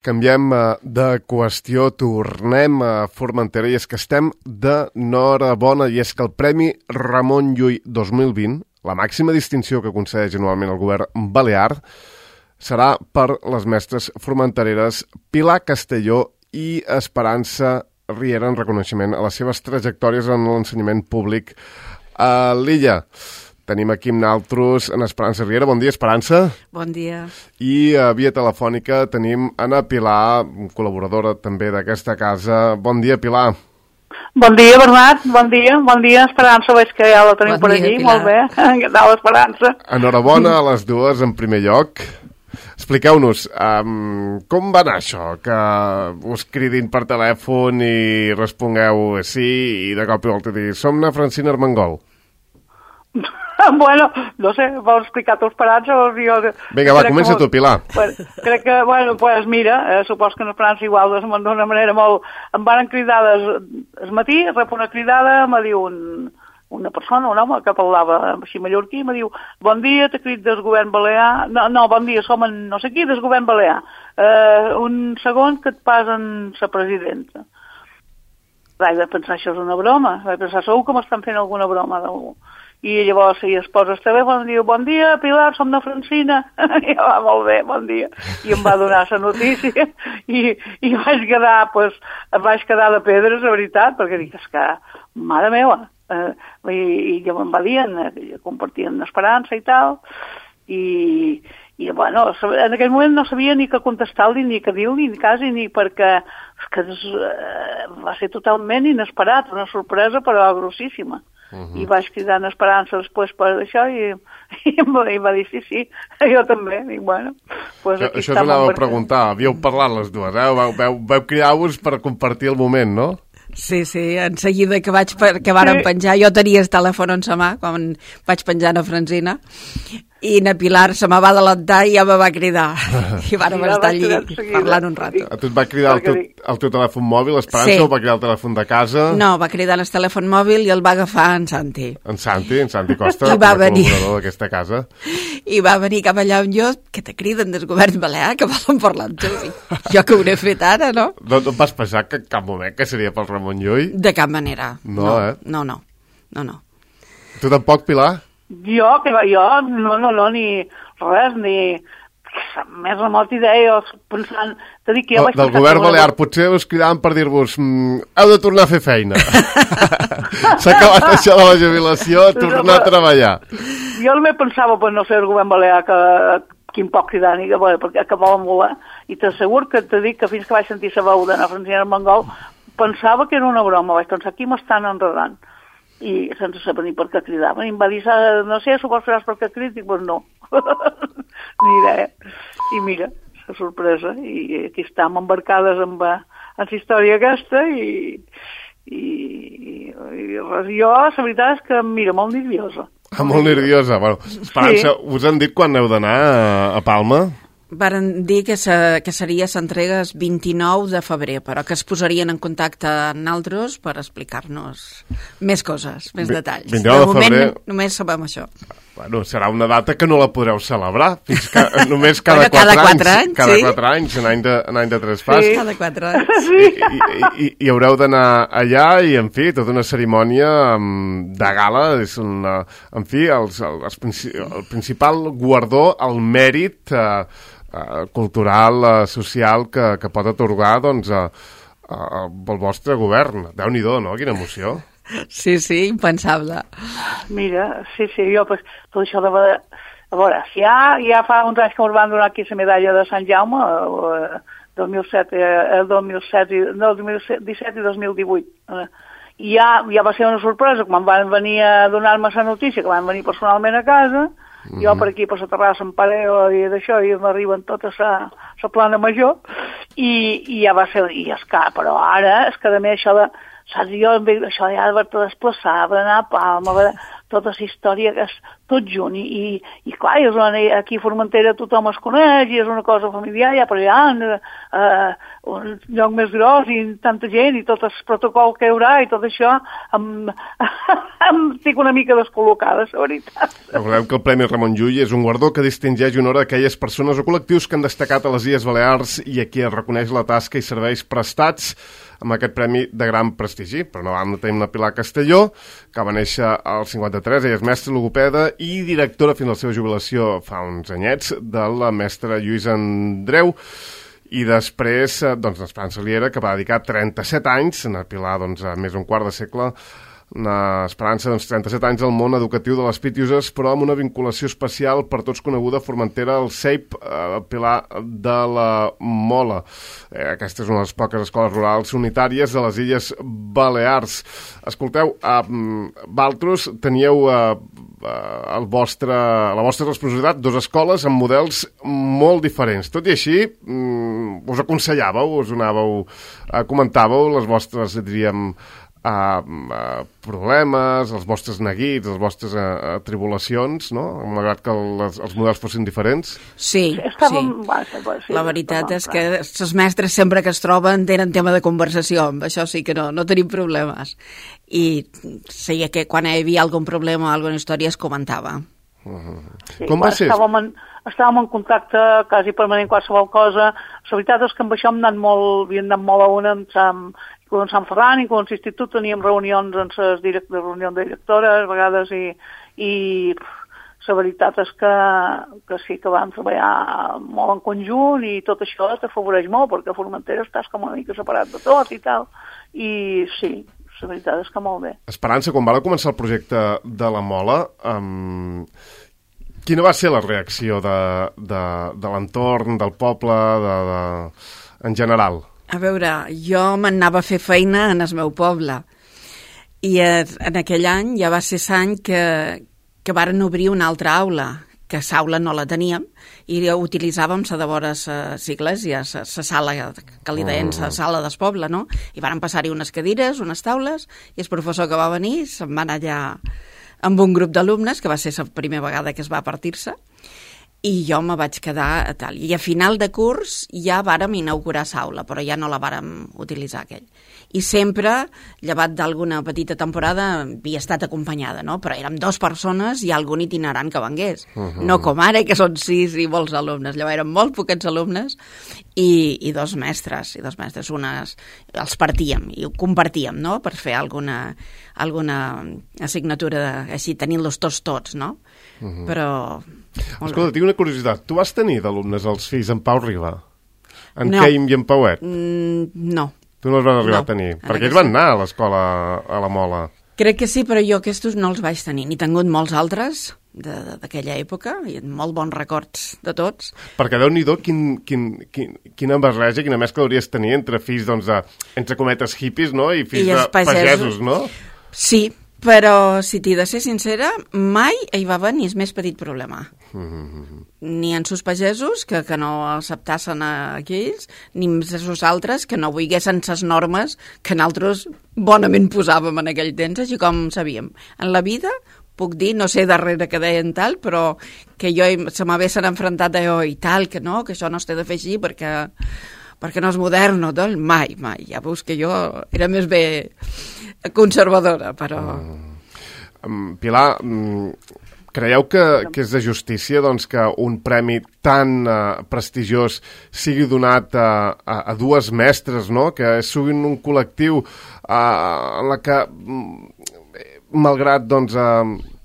Canviem de qüestió, tornem a Formentera i és que estem d'enhorabona i és que el Premi Ramon Llull 2020, la màxima distinció que concedeix anualment el govern balear, serà per les mestres formentereres Pilar Castelló i Esperança Riera en reconeixement a les seves trajectòries en l'ensenyament públic a l'illa. Tenim aquí amb nosaltres en Esperança Riera. Bon dia, Esperança. Bon dia. I a via telefònica tenim Anna Pilar, col·laboradora també d'aquesta casa. Bon dia, Pilar. Bon dia, Bernat. Bon dia, Esperança. Veig que ja la teniu per allí. Pilar. Molt bé. Què tal, Esperança? Enhorabona a les dues en primer lloc. Expliqueu-nos, com va anar això? Que us cridin per telèfon i respongueu sí i de cop i volta dir som na Francina Armengol. Bueno, no sé, vols explicar tu, Esperança? Vinga, va, comença tu, Pilar. Crec que, pues mira, supos que en Esperança igual d'una manera molt... Em van cridar al matí, rep una cridada, me diu una persona, un home, que parlava així mallorquí, me diu, bon dia, t'he crit del govern balear... No, bon dia, som en no sé qui, del govern balear. Un segon que et passen la presidenta. Vaig pensar, això és una broma. Vaig pensar, segur que m'estan fent alguna broma d'algú. I llavors es posa el telèfon i diu, bon dia, Pilar, som de Francina. I va, molt bé, bon dia. I em va donar la notícia i vaig quedar de pedres, la veritat, perquè dic, és que, mare meva, i ja me'n va dient, compartien esperança i tal, i bueno, en aquell moment no sabia ni què contestar-li, ni què dir-li, ni quasi, ni perquè va ser totalment inesperat, una sorpresa però grossíssima. I vaig cridar en Esperança després per això i em va dir sí, jo també. I bueno, pues això t'anava a preguntar, havíeu parlat les dues, vau cridar-vos per compartir el moment, no? Sí, en seguida que varen penjar, jo tenia el telèfon en sa mà quan vaig penjar a Francina i na Pilar se me va adelantar i ja me va cridar i vàrem estar allí parlant un rato. A tu et va cridar el teu telèfon mòbil, Esperança, o va cridar el telèfon de casa? No, va cridar el telèfon mòbil i el va agafar en Santi. En Santi Costa, el col·laborador d'aquesta casa. I va venir cap allà on jo, que te criden del govern balear, que volen parlar amb tu. Jo que ho hauré fet ara, no? No et vas pensar que cap moment que seria pel Ramon Llull? De cap manera. No. No. Tu tampoc, Pilar? Jo, no, ni res, ni més remot idea, pensant... Del govern balear, potser us cridaven per dir-vos heu de tornar a fer feina. S'ha acabat això de la jubilació, tornar a treballar. Jo també pensava, no sé, el govern balear, quin poc cridar, perquè que volen volar, i t'asseguro que te dic que fins que vaig sentir la veu d'anar a Francina Armengol, pensava que era una broma, vaig pensar, aquí m'estan enredant. I sense saber ni per què cridaven. I em va dir, no sé, supos que saps per què crit? Dic, doncs no. Ni idea. I mira, la sorpresa. I aquí estem embarcades amb la història aquesta i jo, la veritat és que, mira, molt nerviosa. Molt nerviosa. Bueno, Esperança, us han dit quan heu d'anar a Palma? Varen dir que seria l'entrega el 29 de febrer, però que es posarien en contacte amb nosaltres per explicar-nos més coses, més detalls. 29 de febrer... Només sabem això. Bueno, serà una data que no la podreu celebrar, fins que només cada 4 anys. Cada 4 anys, en any de traspàs. Sí, cada 4 anys. I haureu d'anar allà i, en fi, tota una cerimònia de gala, és en fi, el principal guardó, el mèrit cultural, social que pot atorgar el vostre govern. Déu-n'hi-do, no? Quina emoció. Sí, impensable. Mira, sí, jo, pues, tot això de... A veure, si ja fa uns anys que ens van donar aquí la medalla de Sant Jaume, 2017 i 2018, i ja va ser una sorpresa, quan van venir a donar-me la notícia, que van venir personalment a casa, jo per aquí, per la terrassa, em pareo i d'això, i m'arriben tota la plana major, i ja va ser, però ara, és que a més això de saps? Jo això ja d'haver-te desplaçat, haver d'anar a Palma, tota la història, que és tot junt, i clar, aquí a Formentera tothom es coneix, i és una cosa familiar, ja per allà, un lloc més gros, i tanta gent, i tot el protocol que hi haurà, i tot això, estic una mica descol·locada, la veritat. Recordem que el Premi Ramon Llull és un guardó que distingeix i honora aquelles persones o col·lectius que han destacat a les Illes Balears i a qui es reconeix la tasca i serveis prestats amb aquest premi de gran prestigi. Però no vam tenir la Pilar Castelló, que va néixer al 53, ella és mestra logopeda i directora fins a la seva jubilació fa uns anyets de la mestra Lluïsa Andreu, i després, doncs, l'Esperança Liera, que va dedicar 37 anys, en la Pilar, doncs, més d'un quart de segle, Esperança, doncs, 37 anys al món educatiu de les Pitiuses, però amb una vinculació especial per tots coneguda a Formentera, el CEIP Pilar de la Mola. Aquesta és una de les poques escoles rurals unitàries de les Illes Balears. Escolteu, vosaltres teníeu la vostra responsabilitat, dues escoles amb models molt diferents. Tot i així, us aconsellàveu, us anàveu, comentàveu les vostres, diríem, problemes, els vostres neguits, les vostres tribulacions, no? Malgrat que els models fossin diferents. Sí. La veritat és que els mestres sempre que es troben tenen tema de conversació, amb això sí que no tenim problemes. I sí que quan hi havia algun problema o alguna història es comentava. Sí, com va ser? Estàvem en contacte quasi permanent qualsevol cosa. La veritat és que amb això havíem anat molt a una amb Sant Ferran i amb l'institut teníem reunions amb les reunions de directores a vegades i la veritat és que sí que vam treballar molt en conjunt i tot això t'afavoreix molt perquè a Formentera estàs com una mica separat de tot i tal, i sí, la veritat és que molt bé. Esperança, quan va començar el projecte de la Mola, quina va ser la reacció de l'entorn, del poble, en general? A veure, jo m'anava a fer feina en el meu poble i en aquell any ja va ser l'any que varen obrir una altra aula, que l'aula no la teníem i utilitzàvem la de vora les iglesias, la sala que li deien la sala del poble, no? I varen passar-hi unes cadires, unes taules, i el professor que va venir se'n va anar allà amb un grup d'alumnes, que va ser la primera vegada que es va partir-se, i jo me vaig quedar a tal. I a final de curs ja vàrem inaugurar l'aula, però ja no la vàrem utilitzar aquell. I sempre, llevat d'alguna petita temporada, havia estat acompanyada, no? Però érem 2 persones i algun itinerant que vengués. No com ara, que són 6 i molts alumnes. Llavors eren molt poquets alumnes i 2 mestres. I 2 mestres, unes els partíem i ho compartíem, no? Per fer alguna assignatura així, tenint-los tots, no? Però... Escolta, tinc una curiositat. Tu vas tenir d'alumnes els fills en Pau Riba? En Queim i en Pauet? No. Tu no els vas arribar a tenir? Perquè ells van anar a l'escola a la Mola. Crec que sí, però jo aquests no els vaig tenir. N'he tingut molts altres d'aquella època, i molt bons records de tots. Perquè Déu-n'hi-do quina barreja, quina mescla hauries tenir entre fills, doncs, entre cometes hippies, no? I fills de pagesos, no? Sí, però si t'he de ser sincera, mai hi va haver ni el més petit problema. Ni en sus pagesos, que no acceptassen aquells, ni en els altres que no volguessin les normes que nosaltres bonament posàvem en aquell temps, així com sabíem. En la vida, puc dir, no sé darrere que deien tal, però que jo se m'haguessin enfrontat a jo i tal, que no, que això no es té de fer així perquè no és modern o tot, mai. Ja veus que jo era més bé conservadora, però... Pilar, creieu que és de justícia doncs, que un premi tan prestigiós sigui donat a 2 mestres, no? Que siguin un col·lectiu en la que, malgrat doncs,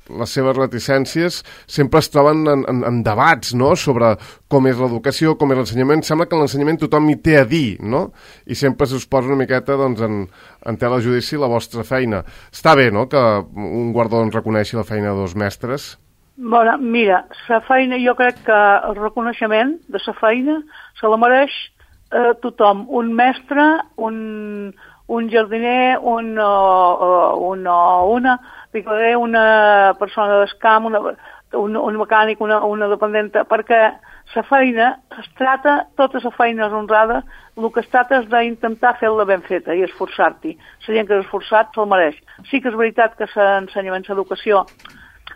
les seves reticències, sempre es troben en debats, no?, sobre com és l'educació, com és l'ensenyament. Sembla que l'ensenyament tothom hi té a dir, no? I sempre s'us posa una miqueta doncs, en tela de judici la vostra feina. Està bé, no?, que un guardó reconeixi la feina de 2 mestres? Bueno, mira, la feina, jo crec que el reconeixement de la feina se la mereix tothom. Un mestre, un jardiner, una persona del camp, un mecànic, una dependenta, perquè la feina es trata, tota la feina és honrada, el que es trata és d'intentar fer-la ben feta i esforçar-t'hi. La gent que és esforçat se'l mereix. Sí que és veritat que l'ensenyament, l'educació,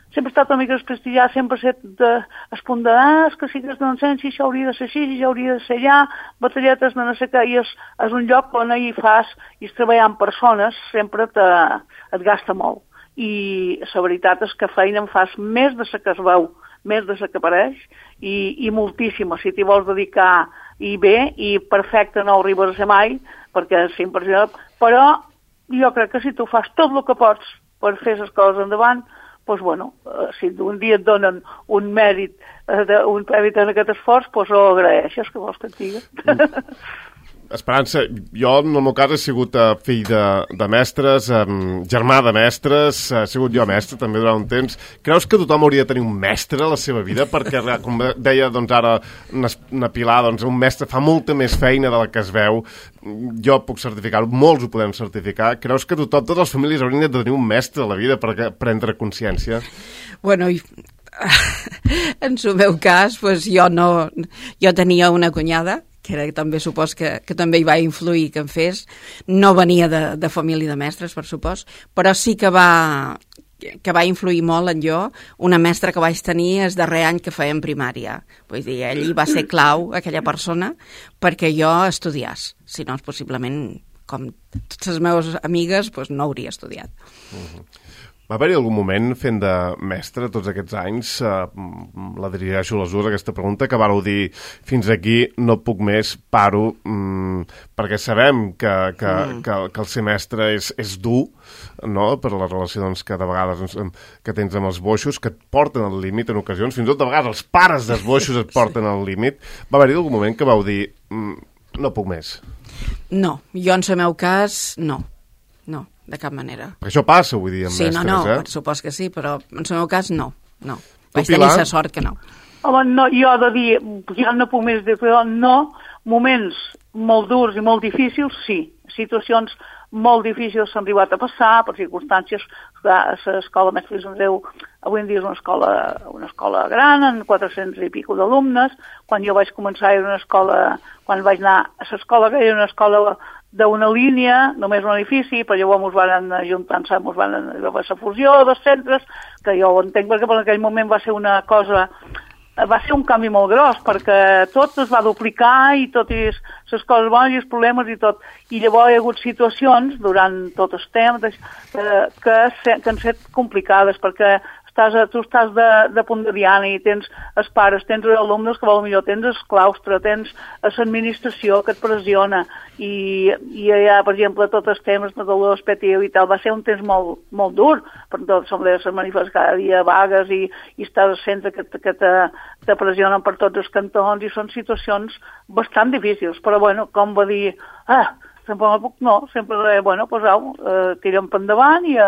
sempre ha estat una mica desprestigiat, sempre ha estat es punt de, és que sí que es donen si això hauria de ser així, això hauria de ser allà, batalletes de no sé què, i és un lloc on hi fas, i treballar amb persones sempre et gasta molt. I la veritat és que feina en fas més de la que es veu, més de la que apareix, i moltíssima. Si t'hi vols dedicar i bé, i perfecte no ho arribes a ser mai, perquè és impressionant, però jo crec que si tu fas tot el que pots per fer les coses endavant, doncs, bueno, si un dia et donen un mèrit, un premi en aquest esforç, doncs ho agraeixes, que vols que et digui. Esperança, jo en el meu cas he sigut fill de mestres, germà de mestres, he sigut jo mestre també durant un temps. Creus que tothom hauria de tenir un mestre a la seva vida? Perquè, com deia doncs, ara una Pilar, doncs, un mestre fa molta més feina de la que es veu. Jo puc certificar-ho, molts ho podem certificar. Creus que totes les famílies haurien de tenir un mestre a la vida per prendre consciència? Bueno, en el meu cas, pues, jo tenia una cunyada que també supos que també hi va influir que em fes. No venia de família de mestres, per supos, però sí que va influir molt en jo una mestra que vaig tenir el darrer any que fèiem primària. Vull dir, ell va ser clau, aquella persona, perquè jo estudiés. Si no, possiblement, com totes les meves amigues, doncs no hauria estudiat. Va haver-hi algun moment fent de mestre tots aquests anys, la dirigeixo a les dues aquesta pregunta, que vareu dir fins aquí no puc més, paro, perquè sabem que el ser mestre és dur, no?, per les relacions que de vegades que tens amb els boixos, que et porten al límit en ocasions, fins i tot de vegades els pares dels boixos et porten al límit. Va haver-hi algun moment que vau dir no puc més? No, jo en el meu cas no, de cap manera. Perquè això passa, vull dir, amb mestres, no, per supos que sí, però en el meu cas no. Vaig tenir la sort que no. Home, no, jo he de dir, ja no puc més dir, però no, moments molt durs i molt difícils, sí. Situacions molt difícils s'han arribat a passar per circumstàncies. L'escola Mestre Andreu avui en dia és una escola gran, amb 400 i pico d'alumnes. Quan jo vaig començar era una escola, quan vaig anar a l'escola, que era una escola d'una línia, només un edifici, però llavors ens van ajuntar-se, ens van fer la fusió dels centres, que jo ho entenc perquè en aquell moment va ser una cosa, va ser un canvi molt gros, perquè tot es va duplicar i tot i les coses bones i els problemes i tot. I llavors hi ha hagut situacions durant tot el temps que han estat complicades, perquè tu estàs de punt de diana i tens els pares, tens els alumnes que potser tens el claustre, tens l'administració que et pressiona i allà, per exemple, tots els temes de dolor expectatiu i tal, va ser un temps molt dur, per tot les manifestacions cada dia vagues i estàs al centre que te pressionen per tots els cantons i són situacions bastant difícils, però bueno, com va dir, sempre no puc, no, sempre, bueno, pues au, tirem per endavant i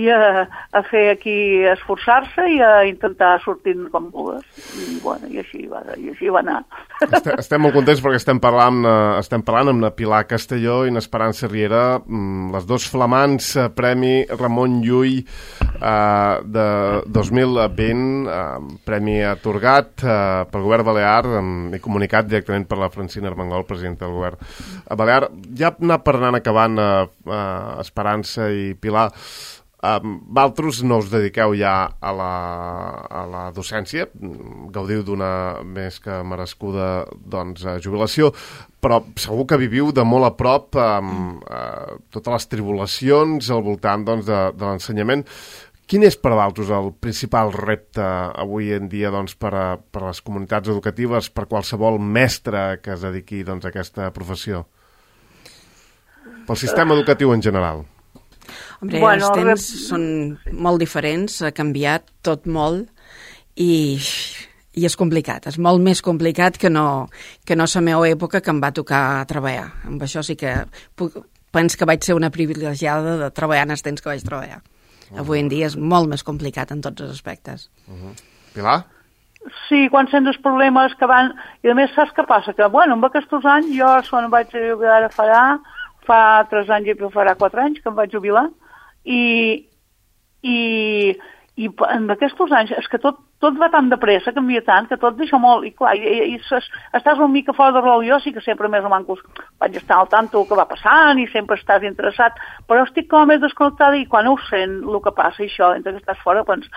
a fer aquí, a esforçar-se i a intentar sortir com vulguis. I, bueno, i així va anar. Estem molt contents perquè estem parlant amb la Pilar Castelló i l'Esperança Riera, les dos flamants Premi Ramon Llull de 2020, premi atorgat pel govern balear i comunicat directament per la Francina Armengol, presidenta del govern balear. Ja per anar acabant, Esperança i Pilar, vosaltres no us dediqueu ja a la docència, gaudiu d'una més que merescuda jubilació, però segur que viviu de molt a prop totes les tribulacions al voltant de l'ensenyament. Quin és per vosaltres el principal repte avui en dia per a les comunitats educatives, per qualsevol mestre que es dediqui a aquesta professió? Pel sistema educatiu en general. Hombre, els temps són molt diferents, ha canviat tot molt i és complicat, és molt més complicat que no la meva època que em va tocar treballar. Amb això sí que penso que vaig ser una privilegiada de treballar en els temps que vaig treballar. Avui en dia és molt més complicat en tots els aspectes. Pilar? Sí, quan sents els problemes que van... I a més saps què passa? Que, bueno, amb aquests anys jo quan vaig jubilar fa 3 anys i farà 4 anys que em vaig jubilar i I en aquests anys és que tot va tan de pressa, canvia tant, que tot deixa molt, i clar, i estàs una mica fora de rol. Jo sí que sempre més o menys vaig estar al tanto del que va passant i sempre estàs interessat, però estic com més desconnectada i quan ho sent el que passa i això, entre que estàs fora, penso,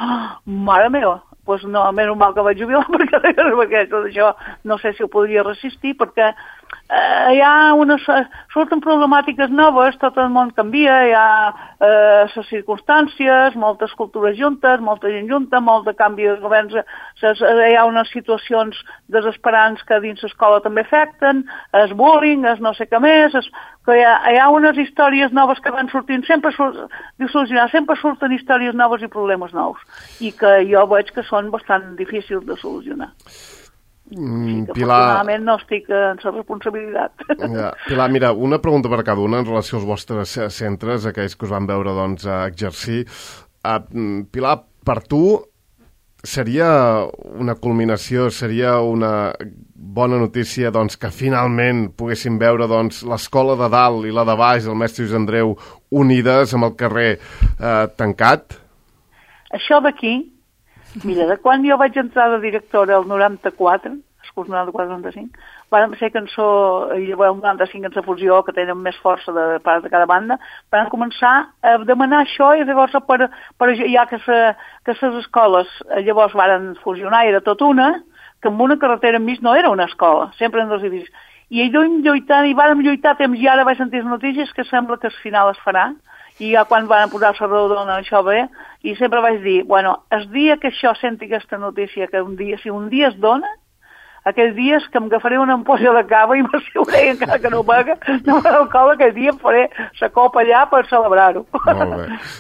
mare meva, doncs no, menys mal que vaig jubilar perquè tot això no sé si ho podria resistir, perquè hi ha surten problemàtiques noves, tot el món canvia, hi ha les circumstàncies, moltes cultures juntes, molta gent junta, molt de canvi de governs, hi ha unes situacions desesperants que dins l'escola també afecten, el bullying, no sé què més, que hi ha unes històries noves que van sortint, sempre surten històries noves i problemes nous, i que jo veig que són bastant difícils de solucionar. Sí, que afortunadament no estic en la responsabilitat. Ja. Pilar, mira, una pregunta per cada una en relació als vostres centres, aquells que us van veure doncs, exercir. Pilar, per tu seria una culminació, seria una bona notícia doncs, que finalment poguéssim veure doncs, l'escola de dalt i la de baix del mestre Lluís Andreu unides amb el carrer tancat? Això d'aquí, mira, de quan jo vaig entrar de directora el 94, el curs 94-95, vam ser cançó, i el 95 en la fusió, que tenen més força de part de cada banda, van començar a demanar això i llavors ja que les escoles llavors van fusionar, era tot una, que amb una carretera enmig no era una escola, sempre en dos edificis. I vàrem lluitar temps i ara vaig sentir les notícies que sembla que al final es farà, i ja quan van posar la rodona això bé, i sempre vaig dir, bueno, el dia que això senti aquesta notícia, que si un dia es dona, aquells dies que em agafaré una ampolla de cava i m'asseuré, encara que no paga, no m'alcohol, aquell dia em faré la copa allà per celebrar-ho.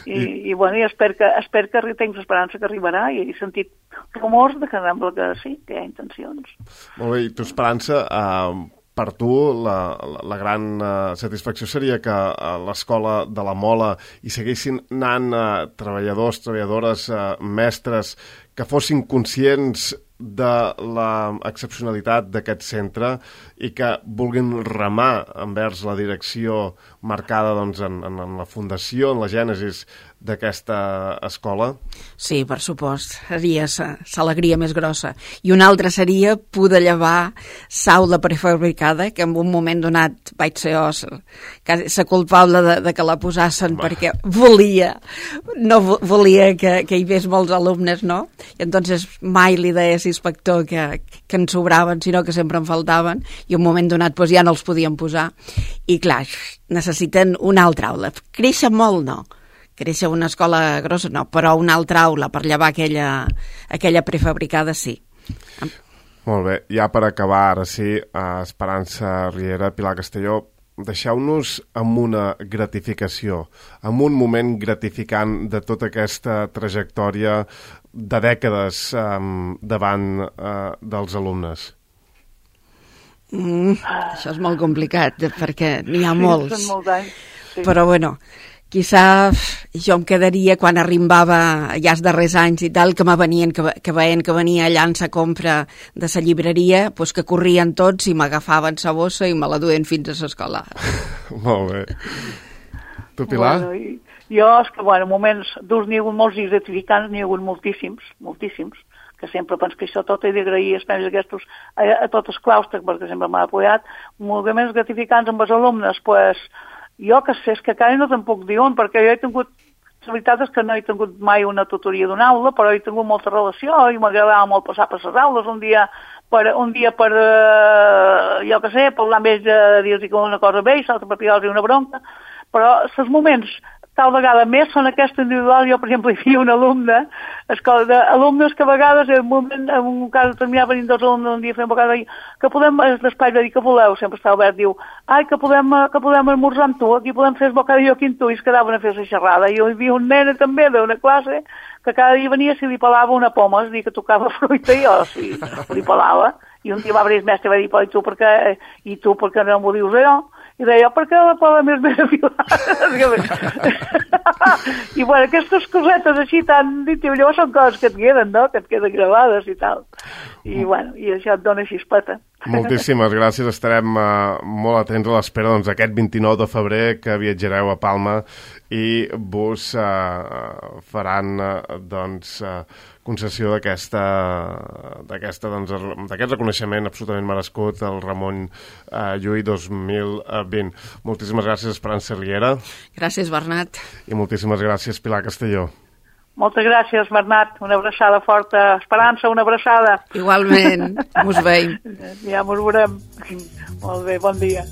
I espero que tinc l'esperança que arribarà, i he sentit rumors de que sembla que sí, que hi ha intencions. Molt bé, i tu, Esperança, per tu la gran satisfacció seria que a l'escola de la Mola hi seguissin anant treballadors, treballadores, mestres que fossin conscients de l'excepcionalitat d'aquest centre i que vulguin remar envers la direcció marcada doncs, en la fundació, en la gènesis d'aquesta escola? Sí, per supost. Seria l'alegria més grossa. I una altra seria poder llevar l'aula prefabricada, que en un moment donat vaig ser la culpable de que la posassin perquè volia que hi hagués molts alumnes, no? I entonces mai li deia a l'inspector que en sobraven, sinó que sempre en faltaven, i en un moment donat ja no els podien posar. I clar, necessiten una altra aula. Créixer molt, no. Créixer una escola grossa, no, però una altra aula per llevar aquella prefabricada, sí. Molt bé, ja per acabar, ara sí, Esperança Riera, Pilar Castelló, deixeu-nos amb una gratificació, amb un moment gratificant de tota aquesta trajectòria de dècades davant dels alumnes. Això és molt complicat, perquè n'hi ha molts. Són molts anys, sí. Però bueno, quizà jo em quedaria quan arribava ja els darrers anys i tal, que veien que venia allà en la compra de la llibreria, doncs que corrien tots i m'agafaven la bossa i me la duen fins a l'escola. Molt bé. Tu, Pilar? Jo és que, moments durs n'hi ha hagut molts i gratificants, n'hi ha hagut moltíssims, que sempre penso que això tot he d'agrair els premis aquests a tots els claustres, perquè sempre m'ha apoyat, moments gratificants amb els alumnes, doncs, jo que sé, és que encara no te'n puc dir on, perquè jo he tingut, la veritat és que no he tingut mai una tutoria d'una aula, però he tingut molta relació i m'agradava molt passar per les aules, un dia per jo que sé, parlar amb ells, dir-los que una cosa bé i l'altra per picar-los una bronca, però els moments tal vegada més són aquests individuals. Jo, per exemple, hi havia un alumne, alumnes que a vegades, en un cas determinat, venint dos alumnes un dia fent vegada, que podem, l'espai de dir que voleu, sempre està obert, diu, que podem esmorzar amb tu, aquí podem fer el bocadillo aquí amb tu, i es quedaven a fer la xerrada. I hi havia un nen també d'una classe que cada dia venia si li pelava una poma, és a dir, que tocava fruita, i jo sí, li pelava. I un dia va venir el mestre i va dir, però i tu per què no m'ho dius allò? I deia, perquè la poda més ben afilada. I aquestes cosetes així tan íntimes, llavors són coses que et queden, no? Que et queden gravades i tal. I això et dona xispeta. Moltíssimes gràcies, estarem molt atents a l'espera d'aquest 29 de febrer que viatjareu a Palma i vos faran concessió d'aquest reconeixement absolutament merescut al Ramon Llull 2020. Moltíssimes gràcies, Esperança Riera. Gràcies, Bernat. I moltíssimes gràcies, Pilar Castelló. Moltes gràcies, Bernat. Una abraçada forta. Esperança, una abraçada. Igualment. Mos veiem. Ja mos veurem. Molt bé, bon dia.